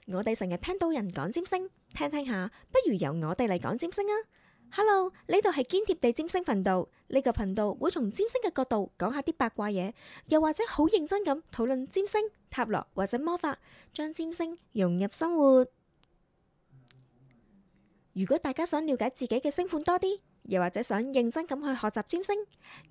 我哋成日聽到人講占星，聽聽下，不如由我哋嚟講占星啊！Hello，呢度係堅貼地占星頻道，呢個頻道會從占星嘅角度講下啲八卦嘢，又或者好認真咁討論占星、塔羅或者魔法，將占星融入生活。如果大家想了解自己嘅星盤多啲，又或者想認真咁去學習占星，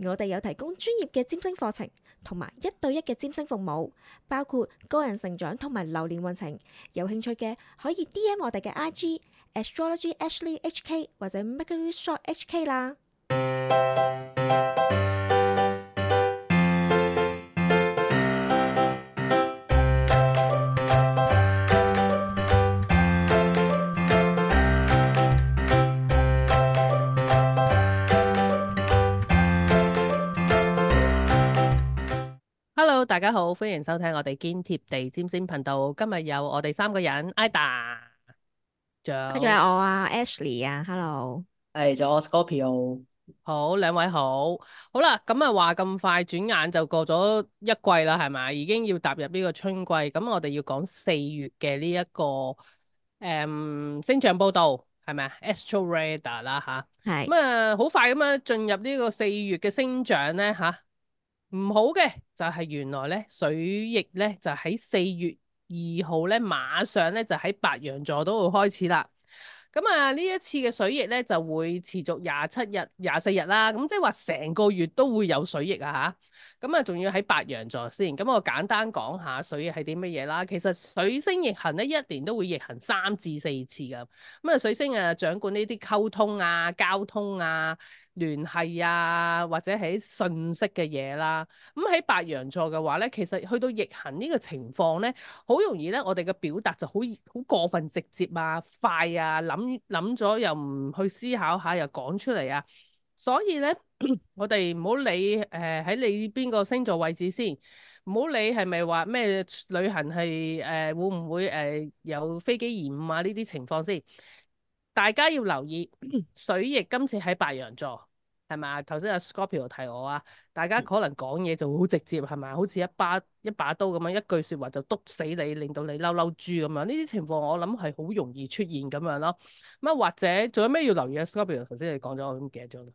我哋有提供專業嘅占星課程，同埋1對1嘅占星服務，包括個人成長同埋流年運程。有興趣嘅可以 DM 我哋嘅 IG Astrology Ashley HK 或者 Mercury Shop HK 啦。Hello，大家好，歡迎收聽我哋堅貼地占星頻道。今日有我哋3個人，Ida，仲仲有我啊 Ashley 啊 ，Hello。仲有 Scorpio。好，兩位好，好啦，咁啊話咁快，轉眼就過咗一季啦，係咪？已經要踏入呢個春季，咁我哋要講4月嘅呢一個星象報道，係咪啊？Astro Radar 啦吓，係咁啊好快咁樣進入呢個4月嘅星象咧吓。唔好嘅就係原來咧水逆咧就喺4月2號咧馬上咧就喺白羊座都會開始啦。咁啊呢一次嘅水逆咧就會持續27日、24日啦。咁即係話成個月都會有水逆啊吓。咁啊仲要喺白羊座先。咁我簡單講下水逆係啲乜嘢啦。其實水星逆行咧一年都會逆行3至4次噶。咁啊水星啊掌管呢啲溝通啊、交通啊、聯繫啊，或者係信息嘅嘢啦。咁喺白羊座嘅話咧，其實去到逆行呢個情況咧，好容易咧，我哋嘅表達就好過分直接啊、快啊，諗咗又唔去思考下，又講出嚟啊。所以咧，我哋唔好理喺你邊個星座位置先，唔好理係咪話咩旅行係會唔會有飛機延誤啊呢啲情況先。大家要留意水逆今次喺白羊座，係咪啊？頭先阿 Scorpio 提我啊，大家可能講嘢就好直接，係咪？好似一把刀咁樣，一句説話就篤死你，令到你嬲嬲豬咁樣。呢啲情況我諗係好容易出現咁樣咯。咁啊，或者仲有咩要留意啊？Scorpio 頭先你講咗，我都唔記得咗啦。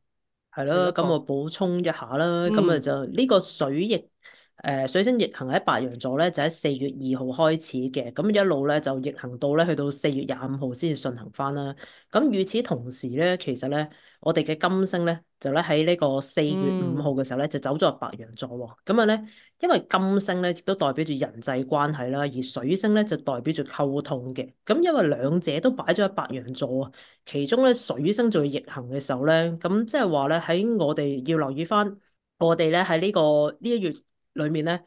係咯，咁我補充一下啦。咁啊就呢個水星逆行喺白羊座咧，就喺4月2號開始嘅，咁一路咧就逆行到咧去到4月25號先至順行翻啦。咁與此同時咧，其實咧我哋嘅金星咧就咧喺呢個4月5號嘅時候咧就走咗入白羊座喎。咁啊咧，因為金星咧亦都代表住人際關係啦，而水星咧就代表住溝通嘅。咁因為兩者都擺咗喺白羊座啊，其中咧水星做逆行嘅時候咧，咁即係話咧喺我哋要留意翻，我哋咧喺呢一月裏面咧，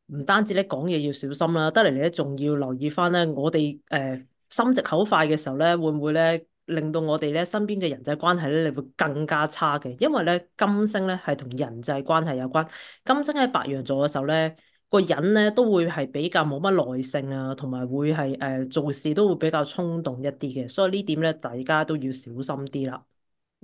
唔單止咧講嘢要小心啦，得嚟咧仲要留意翻咧，我哋心直口快嘅時候咧，會唔會咧令到我哋咧身邊嘅人際關係咧，你會更加差嘅？因為咧金星咧係同人際關係有關，金星喺白羊座嘅時候咧，個人咧都會係比較冇乜耐性啊，同埋會係做事都會比較衝動一啲嘅，所以呢點咧大家都要小心啲啦。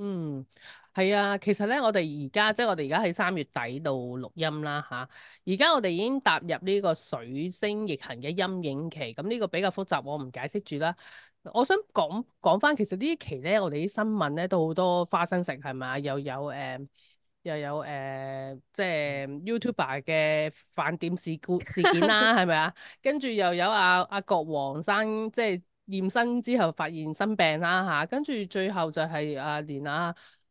嗯，係啊，其實咧，我哋而家即係我哋而家喺3月底度錄音啦吓，而家我哋已經踏入呢個水星逆行嘅陰影期，咁呢個比較複雜，我唔解釋住啦。我想講翻，其實呢一期咧，我哋啲新聞咧都好多花生食，係咪？又有即係 YouTuber 嘅飯店事件啦，係咪啊？跟住又有阿國王生即係驗身之後發現生病啦嚇，跟住最後就係連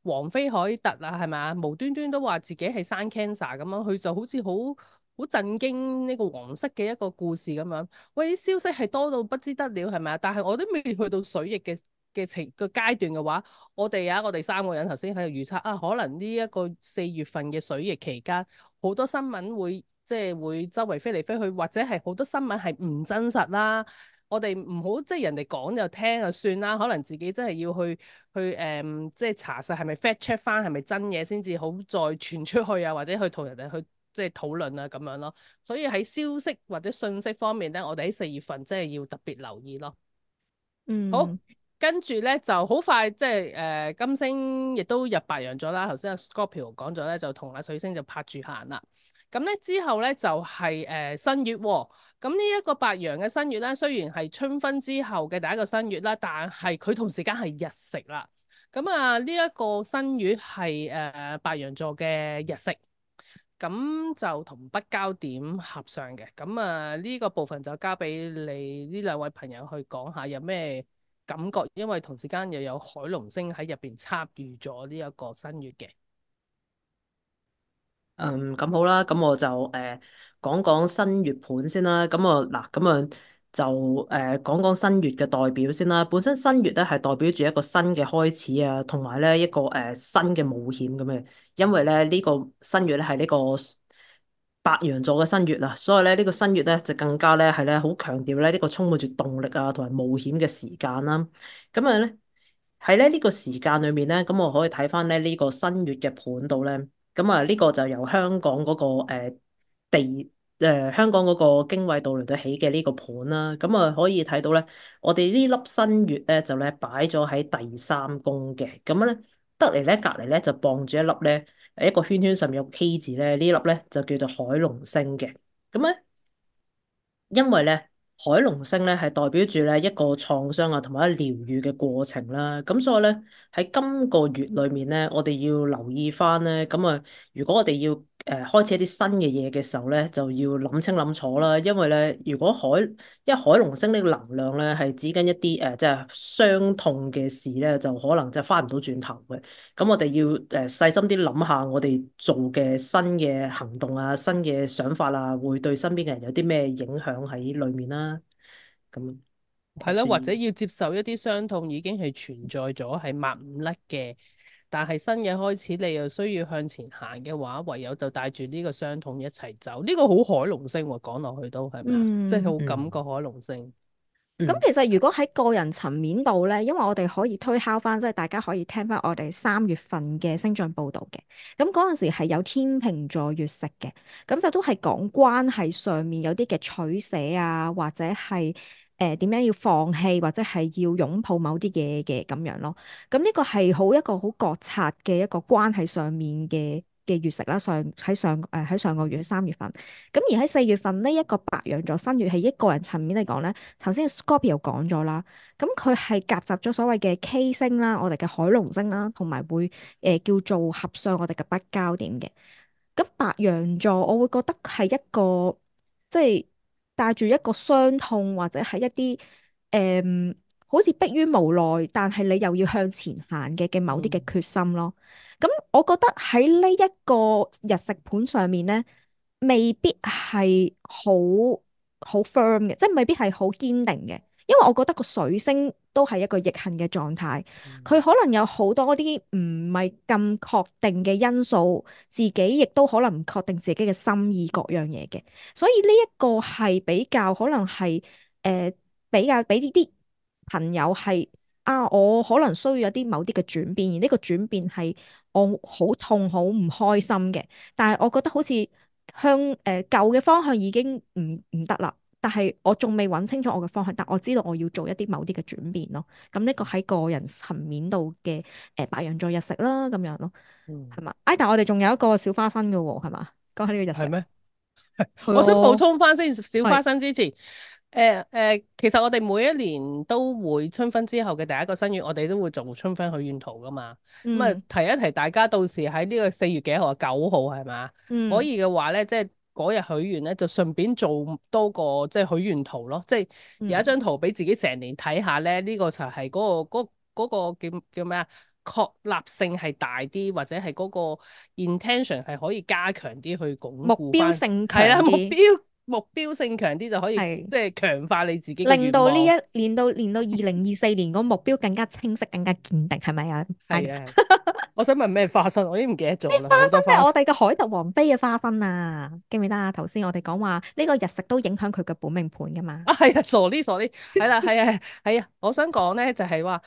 王菲凱特啊，係咪啊？無端端都話自己係生 cancer 咁樣，佢就好似好震驚呢個皇室嘅一個故事咁樣。喂，啲消息係多到不知得了，係咪啊？但係我都未去到水逆嘅階段嘅話，我哋3個人頭先喺度預測啊，可能呢一個4月份嘅水逆期間，好多新聞會即係會周圍飛嚟飛去，或者係好多新聞係唔真實啦。我哋唔好即係人哋講就聽就算啦，可能自己真係要去即係查實係咪 fact check 翻係咪真嘢先至好再傳出去啊，或者去同人哋去即係討論啊咁樣咯。所以喺消息或者信息方面咧，我哋喺4月份真係要特別留意咯。好，跟住咧就好快，即係金星亦都入白羊咗啦。頭先阿 Scorpio 講咗咧，就同阿水星就拍住行啦。咁咧之後咧就係、新月喎。咁呢一個白羊嘅新月咧，雖然係春分之後嘅第一個新月啦，但係佢同時間係日食啦。咁啊，呢一個新月係白羊座嘅日食，咁就同北交點合上嘅。咁啊，呢個部分就交俾你呢兩位朋友去講下有咩感覺，因為同時間又有海龍星喺入邊參與咗呢一個新月嘅。咁好啦，咁我就講講新月盤先啦。咁我嗱，咁啊就講講新月嘅代表先啦。本身新月咧係代表住一個新嘅開始啊，同埋咧一個新嘅冒險咁嘅。因為咧呢個新月咧係呢個白羊座嘅新月啊，所以咧呢個新月咧就更加咧係咧好強調咧呢個充滿住動力啊同埋冒險嘅時間啦。咁啊咧喺咧呢個時間裏面咧，咁我可以睇翻咧呢個新月嘅盤度咧。咁啊，呢個就由香港嗰個香港嗰個經緯度嚟到起嘅呢個盤啦。咁啊，可以睇到咧，我哋呢粒新月咧就咧擺咗喺第三宮嘅。咁咧得嚟咧隔離咧就傍住一粒咧一個圈圈上面有個 K 字咧，呢粒咧就叫做海龍星嘅。咁咧因為咧海龍星咧係代表住咧一個創傷啊同埋一個療愈嘅過程啦，咁所以咧喺今個月裏面咧，我哋要留意翻咧，咁啊如果我哋要開始一啲新嘅嘢嘅時候咧，就要諗清諗楚啦，因為咧如果因為海龍星呢個能量咧係指緊一啲即係傷痛嘅事咧，就可能就翻唔到轉頭嘅。咁我哋要細心啲諗下，我哋做嘅新嘅行動啊、新嘅想法啊，會對身邊嘅人有啲咩影響喺裏面啦。咁係啦，或者要接受一啲傷痛已經係存在咗，係抹唔甩嘅。但係新嘅開始，你又需要向前行嘅話，唯有就帶住呢個傷痛一齊走。呢、個好海龍星喎，講落去都係咪啊？即係好感覺海龍星。咁其實如果喺個人層面度咧，因為我哋可以推敲翻，即係大家可以聽翻我哋3月份嘅星象報導嘅。咁嗰陣時係有天秤座月食嘅，咁就都係講關係上面有啲嘅取捨啊，或者係點樣要放棄，或者係要擁抱某啲嘢嘅咁樣咯。咁呢個係一個好覺察嘅一個關係上面嘅月食啦，喺上個月3月份。咁而喺4月份呢一個白羊座新月係一個人層面嚟講咧，頭先 Scorpio 講咗啦，咁佢係夾雜咗所謂嘅 K 星啦，我哋嘅海龍星啦，同埋會叫做合上我哋嘅北交點嘅。咁白羊座我會覺得係一個即係帶住一個傷痛或者係一啲誒好似迫於無奈，但係你又要向前行嘅某啲嘅決心咯。咁我覺得喺呢一個日食盤上面咧，未必係好 firm 嘅，即係未必係好堅定嘅。因為我覺得個水星都係一個逆行嘅狀態，佢可能有好多啲唔係咁確定嘅因素，自己亦都可能唔確定自己嘅心意各樣嘢嘅，所以呢一個係比較可能係比較俾呢啲朋友係啊，我可能需要有啲某啲嘅轉變，而呢個轉變係我好痛好唔開心嘅，但係我覺得好似舊嘅方向已經唔得啦。但係我仲未揾清楚我嘅方向，但我知道我要做一啲某啲嘅轉變咯。咁呢個喺個人層面度嘅白羊座日食啦，咁樣咯，係嘛？但係我哋仲有一個小花生嘅喎，係嘛？講下呢個日食。係咩？係我想補啊，充翻先，小花係生之前，其實我哋每一年都會春分之後嘅第一個新月，我哋都會做春分許願圖噶嘛。咁啊、嗯提一提大家，到時喺呢個4月幾號啊？9號係嘛？可嗯以嘅話咧，即係嗰日許願咧，就順便做多個即係許願圖咯。即係有一嗯，張圖俾自己成年睇下咧，呢、個就係嗰個叫咩啊？確立性係大啲，或者係嗰個 intention 係可以加強啲去鞏目固翻。標性係啦，強啲，目標性強啲就可以係即係強化你自己嘅令到呢願望。一年到2024年個目標更加清晰、更加堅定，係咪啊？係啊，我想問咩花生，我已經唔記得咗啦，花好多花生。生係我哋嘅海特王妃嘅花生啊，記唔記得啊？頭先我哋講話呢個日食都影響佢嘅本命盤噶嘛。啊，係啊，傻啲傻啲，係啦，係啊，我想講咧就係話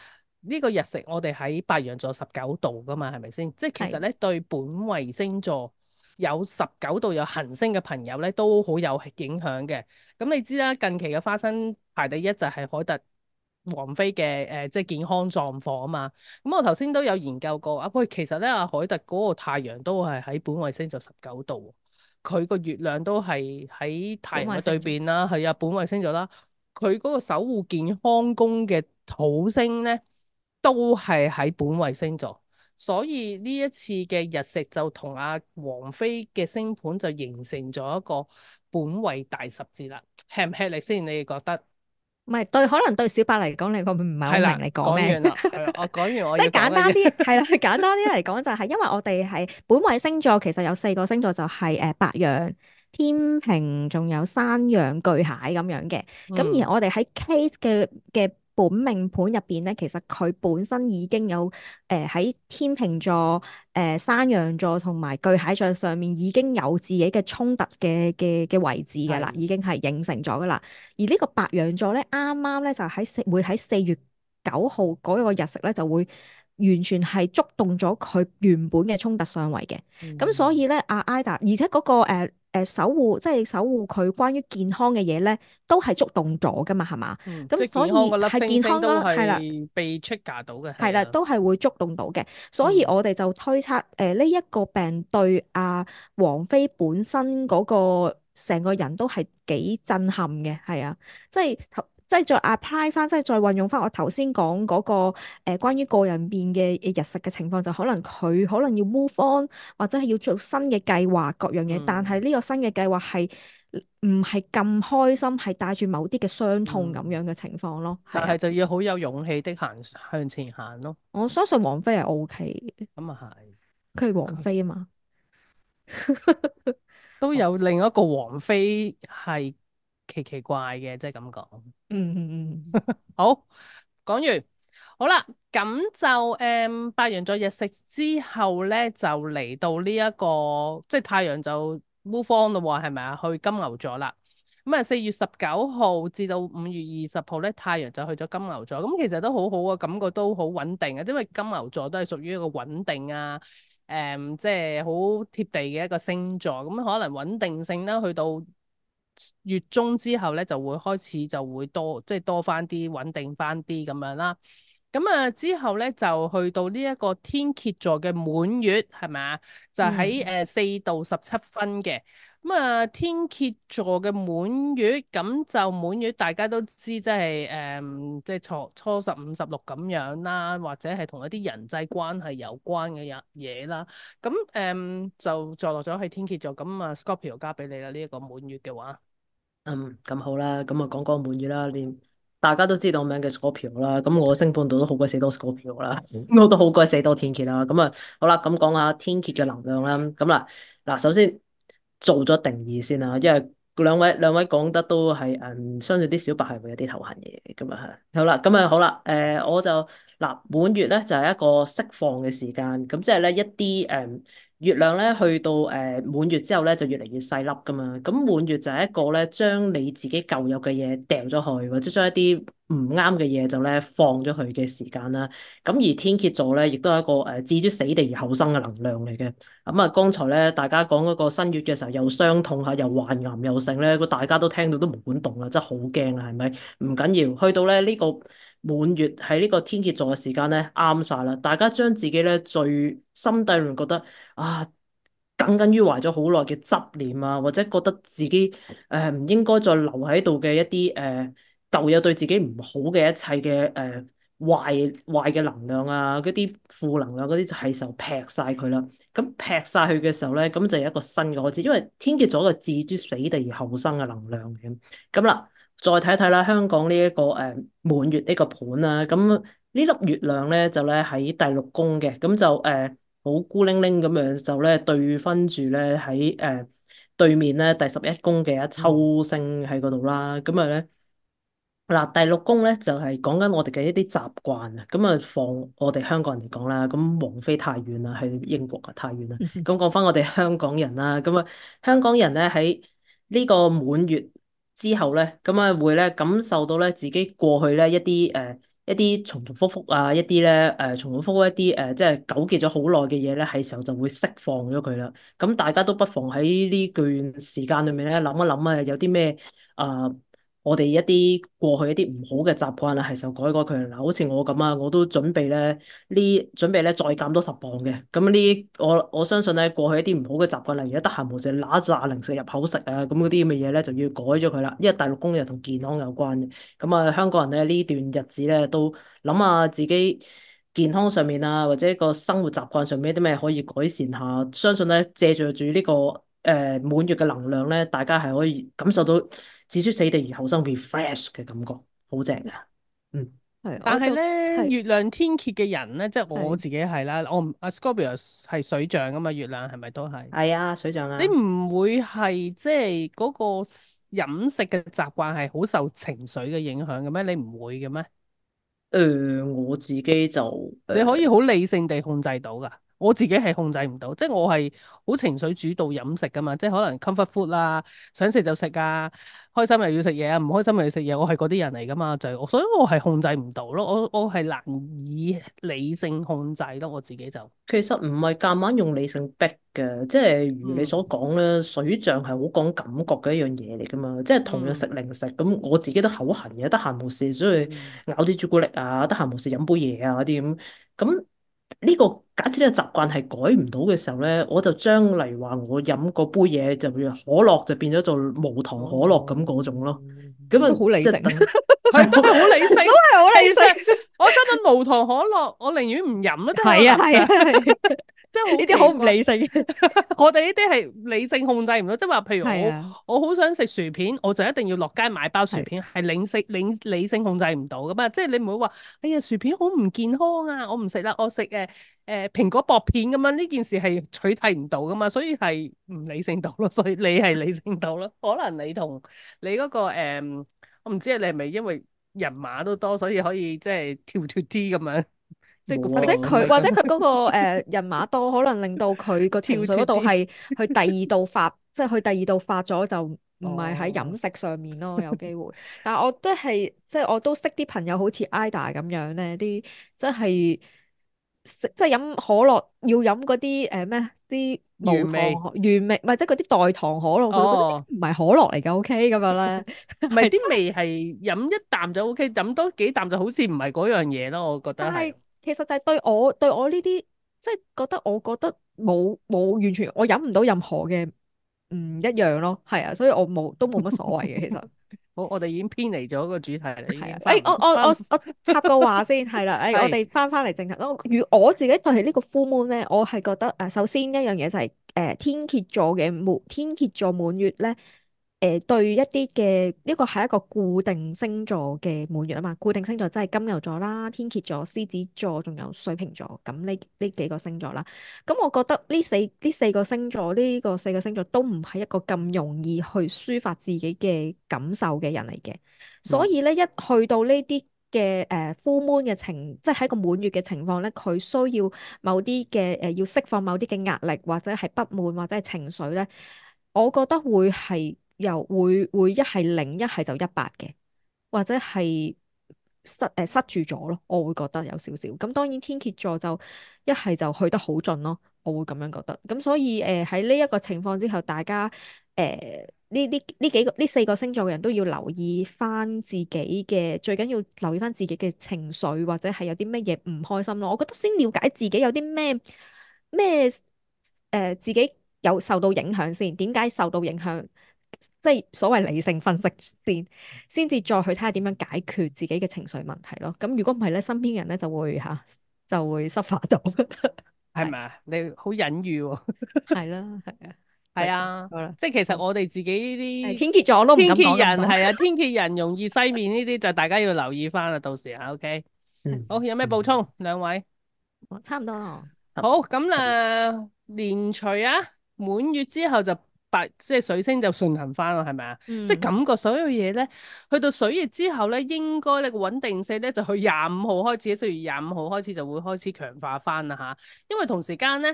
呢個日食我哋喺白羊座19度噶嘛，係咪先？即係其實係咧對本為星座有19度有行星嘅朋友咧都好有影響嘅。咁你知啦，近期嘅花生排第一就係海特王妃嘅即係健康狀況啊嘛。咁我頭先都有研究過啊，喂，其實咧阿海特嗰個太陽都係喺本衛星就19度。佢個月亮都係喺太陽嘅對本位星座邊啦，係啊，本位星座啦。佢嗰個守護健康宮嘅土星咧，都係喺本位星座。所以呢一次嘅日食就同阿王菲嘅星盤就形成咗一個本位大十字啦，吃唔吃力先？你哋覺得？唔係對，可能對小白嚟講，你個唔係好係啦，明你講咩。講完啦，係啦，我講完我即係要講嘅嘢。簡單啲，係啦，簡單啲嚟講就係因為我哋係本位星座，其實有四個星座就係白羊、天秤，仲有山羊、巨蟹咁樣嘅。咁嗯而我哋喺 case 嘅本命盤入邊咧，其實佢本身已經有喺天秤座、山羊座同埋巨蟹座上面已經有自己嘅衝突嘅位置㗎啦，係已經係形成咗㗎啦。而呢個白羊座咧，啱啱咧就會喺4月9號嗰個日食咧，就會完全係觸動咗佢原本嘅衝突相位嘅。咁、所以咧，阿 Ida，而且嗰、個守護，即係守護佢關於健康嘅嘢咧，都係觸動咗噶嘛，係嘛？即係咁所健康嗰粒以係健星星都康啦，係啦。係被 trigger 到嘅，係啦，係啊，都係會觸動到嘅，所以我哋就推測呢一個病對王菲本身嗰個成個人都係幾震撼嘅，係啊，即係再 apply 翻，即係再運用翻我頭先講嗰個關於個人變嘅日食嘅情況，就可能佢可能要 move on，或者係要做新嘅計劃各樣嘢，但係呢個新嘅計劃係唔係咁開心，係帶住某啲嘅傷痛咁樣嘅情況咯，係啊。但係就要好有勇氣的向前行咯。我相信王菲係 O K 嘅，咁啊係，佢係王菲啊嘛。都有另一個王妃係奇奇怪嘅，即係咁講。嗯。好，講完，好啦，咁就白羊座日食之後咧，就嚟到呢、一個即係太陽就 move on 咯喎，係咪啊？去金牛座啦。咁啊，4月19號至到5月20號咧，太陽就去咗金牛座。咁其實都好好啊，感覺都好穩定啊，因為金牛座都係屬於一個穩定啊，即係好貼地嘅一個星座。咁可能穩定性啦，去到月中之後咧，就會開始就會多，即係多翻啲穩定翻啲咁樣啦。咁啊之後咧就去到呢一個天蠍座嘅滿月係咪啊？就喺4度17分嘅。咁啊天蠍座嘅滿月，咁就滿月大家都知，即係即係初十五十六咁樣啦，或者係同一啲人際關係有關嘅嘢啦。咁就坐落咗喺天蠍座。咁啊 Scorpio 交俾你啦，呢一個滿月嘅話。咁好啦，咁啊講講滿月啦，連大家都知道我名嘅 Scorpio 啦，咁我星盤度都好鬼死多 Scorpio 啦，我都好鬼死多天蠍啦，咁啊好啦，咁講下天蠍嘅能量啦，咁嗱，首先做咗定義先啦，因為兩位講得都係相信啲小白係會有啲頭痕嘅，咁啊係，好啦，我就滿月咧就係一個釋放嘅時間，咁即係咧一啲月亮咧去到滿月之後咧就越嚟越細粒噶嘛，咁滿月就係一個咧將你自己舊有嘅嘢掉咗去，或者將一啲唔啱嘅嘢就咧放咗去嘅時間啦。咁而天蠍座咧亦都係一個置諸死地而後生嘅能量嚟嘅。咁啊，剛才咧大家講嗰個新月嘅時候又傷痛嚇，又患癌又剩咧，個大家都聽到都毛管戙啦，真係好驚啊，係咪？唔緊要，去到咧呢個滿月喺呢個天蠍座嘅時間咧啱晒啦，大家將自己咧最心底裏面覺得耿耿於懷咗好耐嘅執念啊，或者覺得自己唔應該再留喺度嘅一啲舊有對自己唔好嘅一切嘅壞嘅能量啊，嗰啲負能量嗰啲就係時候劈晒佢啦。咁劈晒佢嘅時候咧，咁就有一個新嘅開始，因為天蠍座嘅置諸死地而後生嘅能量嘅。咁啦，再睇一睇啦，香港呢一個滿月呢個盤啦，咁呢粒月亮咧就咧喺第六宮嘅，咁就好孤零零咁樣就咧對分住咧喺對面咧第11宮嘅一抽星喺嗰度啦，咁啊咧第六宮咧就係講緊我哋嘅一啲習慣啊，咁啊放我哋香港人嚟講啦，咁王菲太遠啦，去英國啊太遠啦，咁講翻我哋香港人啦，咁啊香港人咧喺呢個滿月之後咧，咁啊會咧感受到咧自己過去咧一啲重重複複啊，一啲咧重重複複一啲即係糾結咗好耐嘅嘢咧，係時候就會釋放咗佢啦。咁大家都不妨喺呢段時間裏面咧諗一諗啊，有啲咩啊我哋一啲過去一啲唔好嘅習慣啊，係時候改改佢嗱，好似我咁啊，我都準備咧再減多10磅嘅。咁我相信咧過去一啲唔好嘅習慣，例如一得閒無事揦扎零食入口食啊，咁嗰啲咁嘅嘢咧就要改咗佢啦。因為第六宮又同健康有關嘅。咁啊，香港人咧呢段日子咧都諗下自己健康上面啊，或者個生活習慣上面有啲咩可以改善下。相信咧借助住呢個滿月嘅能量咧，大家係可以感受到置之死地而後生 refresh 嘅感覺，好正啊！嗯，係，我但係就咧，係月亮天蠍嘅人咧，即係我係自己係啦，我唔阿 Scorpio 係水象啊嘛，月亮係咪都係？係啊，水象你啊。唔會係即係嗰個飲食嘅習慣係好受情緒嘅影響嘅咩？你唔會嘅咩？我自己就你可以好理性地控制到噶，我自己係控制唔到，即係我係好情緒主導飲食噶嘛，即係可能 comfort food 啦，想食就食啊，開心又要食嘢啊，唔開心又要食嘢，我係嗰啲人嚟噶嘛，就係所以我係控制唔到咯，我係難以理性控制咯，我自己就其實唔係夾硬用理性逼嘅，即係如你嗯所講咧，水象係好講感覺嘅一樣嘢嚟噶嘛。即係同樣食嗯零食，咁我自己都口痕嘅，得閒無事所以嗯咬啲朱古力啊，得閒無事飲杯嘢啊嗰啲咁。咁呢個假設呢個習慣係改唔到嘅時候咧，我就將例如話我飲嗰杯嘢就譬如可樂就變咗做無糖可樂咁嗰種咯。咁都啊，好理性，即係等係都係好理性，都係好理其實性。我心諗無糖可樂，我寧願唔飲啦，即係係啊我諗上，係啊係啊，即係呢啲好好奇怪。唔理性。我哋呢啲係理性控制唔到，即係話，譬如我係啊我好想食薯片，我就一定要落街買包薯係片，係理性控制唔到噶嘛。即係你唔會話，哎呀薯片好唔健康啊，我唔食啦，我食蘋果薄片咁樣，呢件事係取締唔到噶嘛，所以係唔理性到咯。所以你係理性到咯，可能你同你嗰個我唔知你係咪因為人馬都多，所以可以即係跳脱啲咁樣，即係個 冇或者flexibility 佢嗰個人馬多，可能令到佢個情緒嗰度跳脱啲。係去第二度發，即係去第二度發咗就唔係喺飲哦，食上面咯，有機會。但係我都係即係我都識啲朋友好似 Ida 咁樣咧，啲即係食即係飲可樂要飲嗰啲咩啲無糖原味原味，唔係即係嗰啲代糖可樂，佢覺得哦。唔係可樂嚟嘅，OK 咁樣咧，唔係係真啲味係飲一啖就 OK，飲多幾啖就好似唔係嗰樣嘢咯，我覺得係。但係其實就係對我呢啲，即係我覺得冇完全我飲唔到任何嘅唔一樣咯，係啊，所以我都冇乜所謂嘅其實好，我哋已經偏離咗個主題啦，已係啊。經翻唔翻唔我插個話先係啦，我係哋翻嚟正題。我自己對係呢個 full moon 咧，我係覺得首先一樣嘢就係天蠍座滿月咧。對一啲嘅呢個係一個固定星座嘅滿月啊嘛，固定星座即係金牛座啦、天蠍座、獅子座，仲有水瓶座，咁呢幾個星座啦。咁我覺得呢四個星座四個星座都唔係一個咁容易去抒發自己嘅感受嘅人嚟嘅，所以咧一去到呢啲嘅full moon 嘅即係喺個滿月嘅情況咧，佢需要某啲嘅要釋放某啲嘅壓力或者係不滿或者係情緒咧，我覺得會係會一係零一係就100嘅，或者係塞住咗咯，我會覺得有少少。咁當然天蠍座就一係就去得好盡咯，我會咁樣覺得。咁所以喺呢一個情況之後，大家呢四個星座嘅人都要留意翻自己嘅，最緊要留意翻自己嘅情緒或者係有啲咩嘢唔開心咯。我覺得先了解自己有啲咩自己有受到影響先，點解受到影響？即係所謂理性分析先至再去睇下點樣解決自己嘅情緒問題咯。咁如果唔係咧，身邊人咧就會 suffer 到。係係咪啊？你好隱喻喎。係啦，係啊，就係咁係啊，好啦。即係其實好我哋自己呢啲係天蠍座我都唔天敢講咁多。蠍人係啊，天蠍人容易西面呢啲就大家要留意翻啦，到時啊，OK。嗯好，有咩補充？兩位？差唔多咯。好，咁連除啊，滿月之後就即係水星就順行翻咯，係咪啊？即係嗯，感覺所有嘢咧，去到水月之後咧，應該咧個穩定性咧就去25號開始，4月25號開始就會開始強化翻啦吓。因為同時間咧，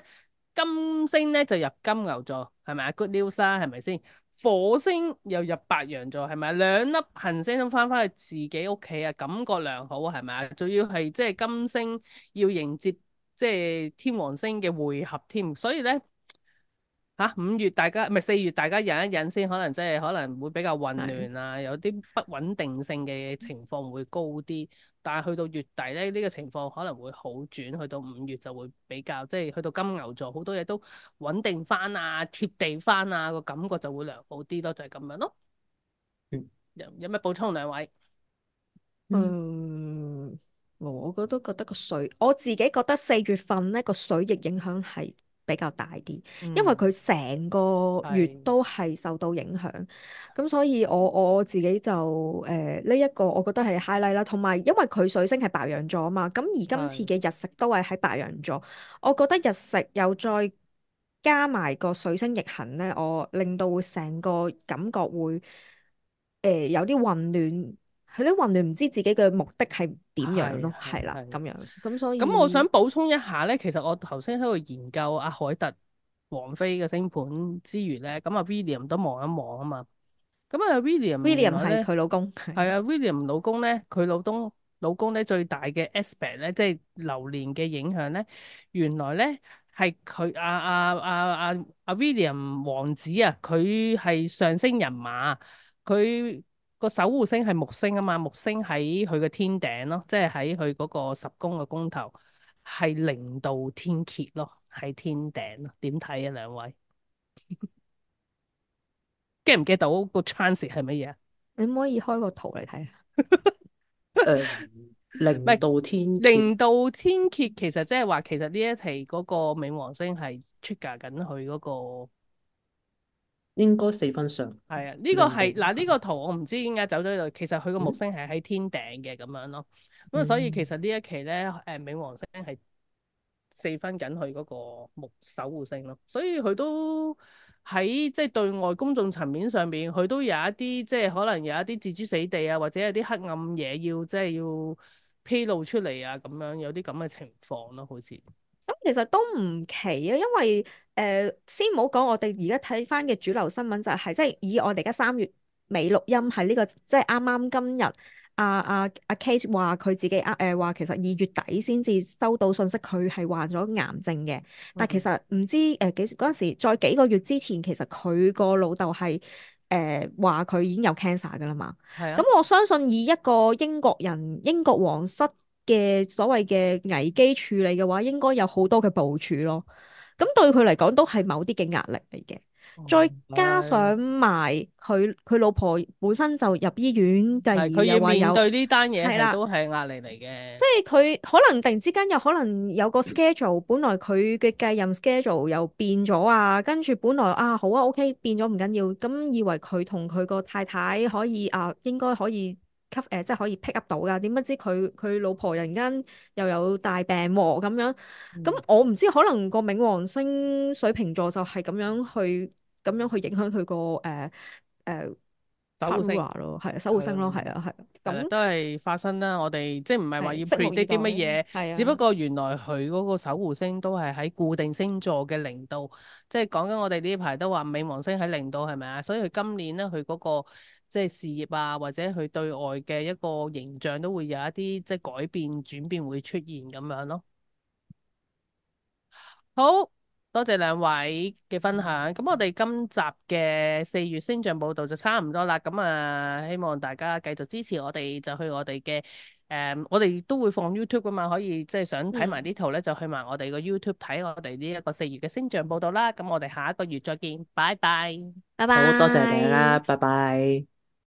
金星咧就入金牛座，係咪啊？Good news 啦，係咪先？火星又入白羊座，係咪啊？兩粒行星都翻去自己屋企啊，感覺良好，係咪啊？仲要係即係金星要迎接即係天王星嘅會合添，所以咧5月大家唔係4月，大家忍一忍先，可能即係可能會比較混係亂啊，有啲不穩定性嘅情況會高啲。但係去到月底咧，呢個情況可能會好轉，去到5月就會比較即係去到金牛座，好多嘢都穩定翻啊，貼地翻啊，個感覺就會良好啲咯，就係咁樣咯。嗯有咩補充兩位？嗯，我覺得我自己覺得4月份呢個水逆影響係比較大啲，因為佢成個月係都係受到影響，咁所以我自己就呢一個我覺得係 highlight 啦，同埋因為佢水星係白羊座啊嘛，咁而今次嘅日食都係喺白羊座，我覺得日食又再加埋個水星逆行呢，我令到會成個感覺會有啲混亂。佢啲混亂唔知自己嘅目的係點樣咯，係啦咁樣，咁所咁我想以補充一下咧，其實我頭先喺度研究阿凱特王妃嘅星盤之餘咧，咁阿 William 都望一望啊嘛。咁啊 William 原 William 係來咧佢老公，係啊 William 老公咧，佢老公咧最大嘅 aspect 咧，即係流年嘅影響咧，原來咧係佢阿 William 王子啊，佢係上升人馬，佢個守護星係木星啊嘛，木星喺佢嘅天頂咯，即係喺佢嗰個十宮嘅宮頭，係0度天蠍咯，喺天頂咯，點睇啊兩位？get 唔 get 到個 chance 係乜嘢啊？你可唔可以開個圖嚟睇下？誒，唔係零度天蠍0度天蠍，其實即係話，其實呢一題嗰個冥王星係 trigger 緊佢嗰個。應該4分上，係啊，呢個零度係嗱呢個圖我唔知點解走咗呢度，其實佢個木嗯星係喺天頂嘅咁樣咯。咁啊，所以其實呢一期咧，冥王星係4分緊佢嗰個木守護星咯，所以佢都喺即係對外公眾層面上邊，佢都有一啲即係可能有一啲置諸死地啊，或者有啲黑暗嘢要即係要披露出嚟啊，咁樣有啲咁嘅情況咯，好似。咁其實都唔奇啊，因為先唔好講我哋而家睇翻嘅主流新聞就係、即係以我哋而家3月尾錄音係呢、個即係啱啱今日阿 Kate 話佢自己話其實2月底先至收到信息佢係患咗癌症嘅，但其實唔知幾時嗰陣時再幾個月之前其實佢個老豆係話佢已經有 cancer 噶啦嘛，咁係啊，我相信以一個英國人英國皇室嘅所謂嘅危機處理嘅話，應該有好多嘅部署咯。咁對佢嚟講都係某啲嘅壓力嚟嘅。再加係上埋佢老婆本身就入醫院，繼而係佢要又話有面對呢單嘢係啦，係都係壓力嚟嘅。即係佢可能突然之間有可能有個 schedule，本來佢嘅繼任 schedule 又變咗啊，跟住本來好啊 OK 變咗唔緊要，咁以為佢同佢個太太可以應該可以即係可以 pick up 到噶，點不知佢老婆突然間又有大病喎咁樣，咁我唔知可能個冥王星水瓶座就係咁樣去影響佢個誒 守護星 partner 咯，係啊守護星咯，係啊係啊，係啦，咁都係發生啦。我哋即係唔係話要拭目以 predict 啲乜嘢，待，係啊。只不過原來佢嗰個守護星都係喺固定星座嘅0度，即係講緊我哋呢排都話冥王星喺0度係咪啊？所以佢今年咧，佢嗰個即係事業啊，或者佢對外嘅一個形象都會有一啲即係改變轉變會出現咁樣咯。好多謝兩位嘅分享，咁我哋今集嘅4月星象報道就差唔多啦，咁啊希望大家繼續支持我哋，就去我哋嘅我哋都會放 YouTube 噶嘛，可以即係想睇埋啲圖咧，就去埋我哋個 YouTube 睇我哋呢一個4月嘅星象報道啦，咁我哋下一個月再見，拜拜。拜拜。好多謝大家，拜拜。